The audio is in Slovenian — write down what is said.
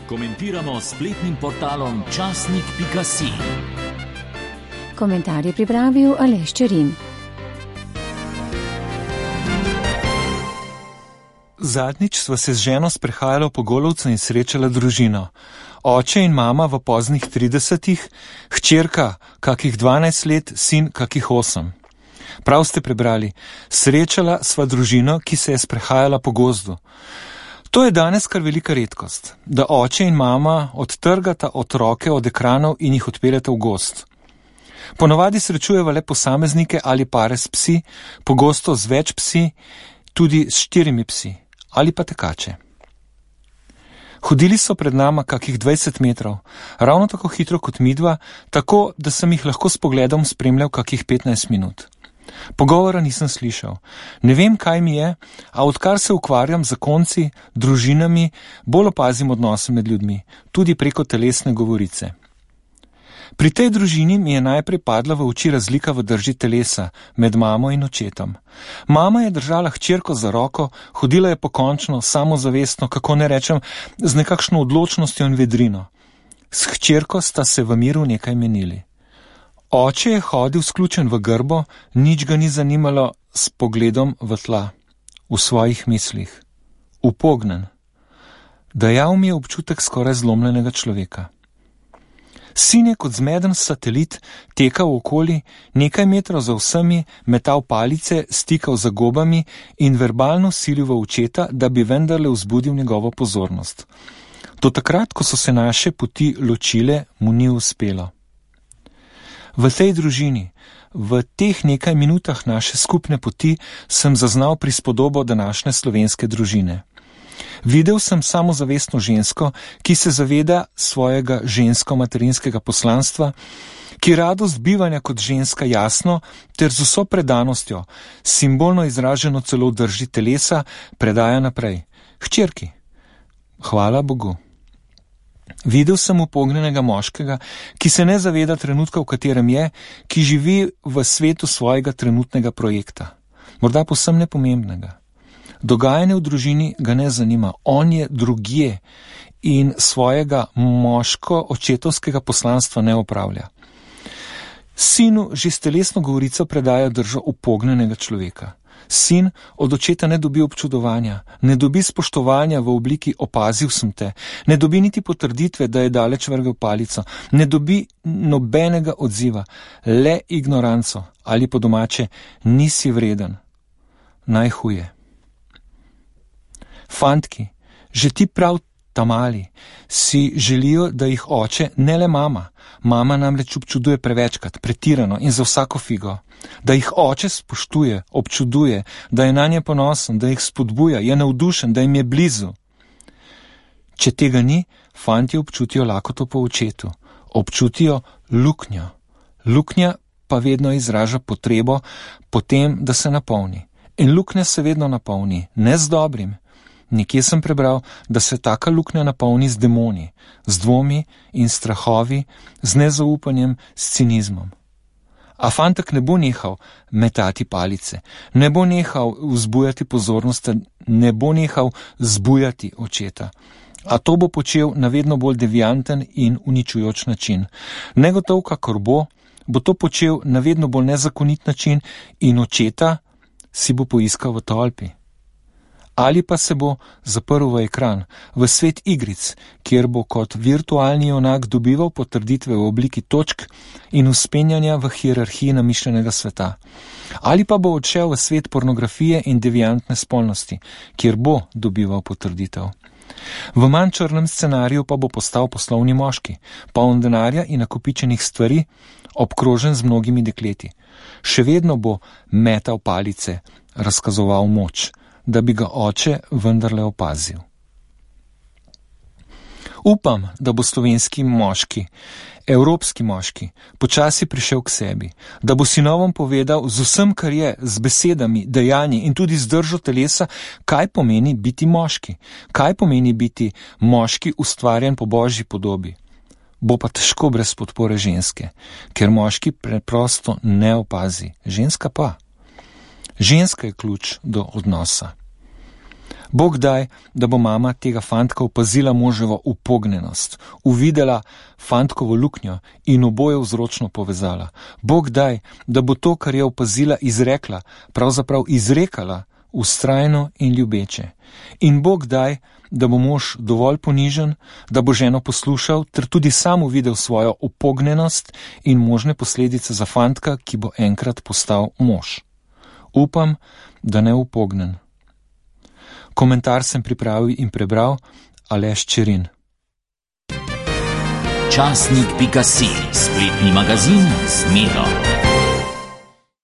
Komentiramo s spletnim portalom časnik.si. Komentar je pripravil Aleš Čerin. Zadnjič sva se z ženo sprehajala po Golovcu in srečala družino. Oče in mama v poznih 30-ih, hčerka kakih 12 let, sin kakih 8. Prav ste prebrali, srečala sva družino, ki se je sprehajala po gozdu. To je danes kar velika redkost, da oče in mama odtrgata otroke od ekranov in jih odpeljata v gozd. Ponovadi srečujeva le posameznike ali pare s psi, pogosto z več psi, tudi s 4 psi ali pa tekače. Hodili so pred nama kakih 20 metrov, ravno tako hitro kot midva, tako da sem jih lahko s pogledom spremljal kakih 15 minut. Pogovora nisem slišal. Ne vem, kaj mi je, a odkar se ukvarjam z zakonci, družinami, bolj opazim odnose med ljudmi, tudi preko telesne govorice. Pri tej družini mi je najprej padla v oči razlika v drži telesa med mamo in očetom. Mama je držala hčerko za roko, hodila je pokončno, samozavestno, kako ne rečem, z nekakšno odločnostjo in vedrino. S hčerko sta se v miru nekaj menili. Oče je hodil sključen v grbo, nič ga ni zanimalo, s pogledom v tla, v svojih mislih, upognen. Dajal mi je občutek skoraj zlomljenega človeka. Sin je kot zmeden satelit tekal okoli, nekaj metrov za vsemi, metal palice, stikal za gobami in verbalno silil v očeta, da bi vendarle vzbudil njegovo pozornost. Do takrat, ko so se naše poti ločile, mu ni uspelo. V tej družini, v teh nekaj minutah naše skupne poti, sem zaznal prispodobo današnje slovenske družine. Videl sem samozavestno žensko, ki se zaveda svojega žensko-materinskega poslanstva, ki radost bivanja kot ženska jasno ter z vso predanostjo, simbolno izraženo celo v drži telesa, predaja naprej. Hčerki, hvala Bogu. Videl sem upognjenega moškega, ki se ne zaveda trenutka, v katerem je, ki živi v svetu svojega trenutnega projekta, morda povsem nepomembnega. Dogajanje v družini ga ne zanima, on je drugje in svojega moško-očetovskega poslanstva ne opravlja. Sinu že s telesno govorico predaja držo upognjenega človeka. Sin od očeta ne dobi občudovanja, ne dobi spoštovanja v obliki opazil sem te, ne dobi niti potrditve, da je daleč vrgel palico, ne dobi nobenega odziva, le ignoranco ali po domače nisi vreden. Najhuje. Fantki, že ti prav tamali, si želijo, da jih oče, ne le mama, mama namreč občuduje prevečkrat, pretirano in za vsako figo, da jih oče spoštuje, občuduje, da je nanje ponosen, da jih spodbuja, je navdušen, da jim je blizu. Če tega ni, fantje občutijo lakoto po očetu, občutijo luknjo. Luknja pa vedno izraža potrebo po tem, da se napolni. In luknja se vedno napolni, ne z dobrim. Nekje sem prebral, da se taka luknja napolni z demoni, z dvomi in strahovi, z nezaupanjem, s cinizmom. A fantek ne bo nehal metati palice, ne bo nehal vzbujati pozornost, ne bo nehal zbujati očeta. A to bo počel na vedno bolj devianten in uničujoč način. Negotov, kakor bo to počel na vedno bolj nezakonit način in očeta si bo poiskal v tolpi. Ali pa se bo zaprl v ekran, v svet igric, kjer bo kot virtualni junak dobival potrditve v obliki točk in vzpenjanja v hierarhiji namišljenega sveta. Ali pa bo odšel v svet pornografije in deviantne spolnosti, kjer bo dobival potrditev. V manj črnem scenariju pa bo postal poslovni moški, poln denarja in nakopičenih stvari, obkrožen z mnogimi dekleti. Še vedno bo metal palice, razkazoval moč, da bi ga oče vendarle opazil. Upam, da bo slovenski moški, evropski moški, počasi prišel k sebi, da bo sinovom povedal z vsem, kar je, z besedami, dejanji in tudi z držo telesa, kaj pomeni biti moški, kaj pomeni biti moški ustvarjen po božji podobi. Bo pa težko brez podpore ženske, ker moški preprosto ne opazi, ženska pa. Ženska je ključ do odnosa. Bog daj, da bo mama tega fantka opazila moževo upognjenost, uvidela fantkovo luknjo in oboje vzročno povezala. Bog daj, da bo to, kar je opazila, izrekla, pravzaprav izrekala, vztrajno in ljubeče. In Bog daj, da bo mož dovolj ponižen, da bo ženo poslušal, ter tudi sam uvidel svojo upognjenost in možne posledice za fantka, ki bo enkrat postal mož. Upam, da ne upognen. Komentar sem pripravil in prebral Aleš Čerin. Časnik.si, spletni magazin z Miro.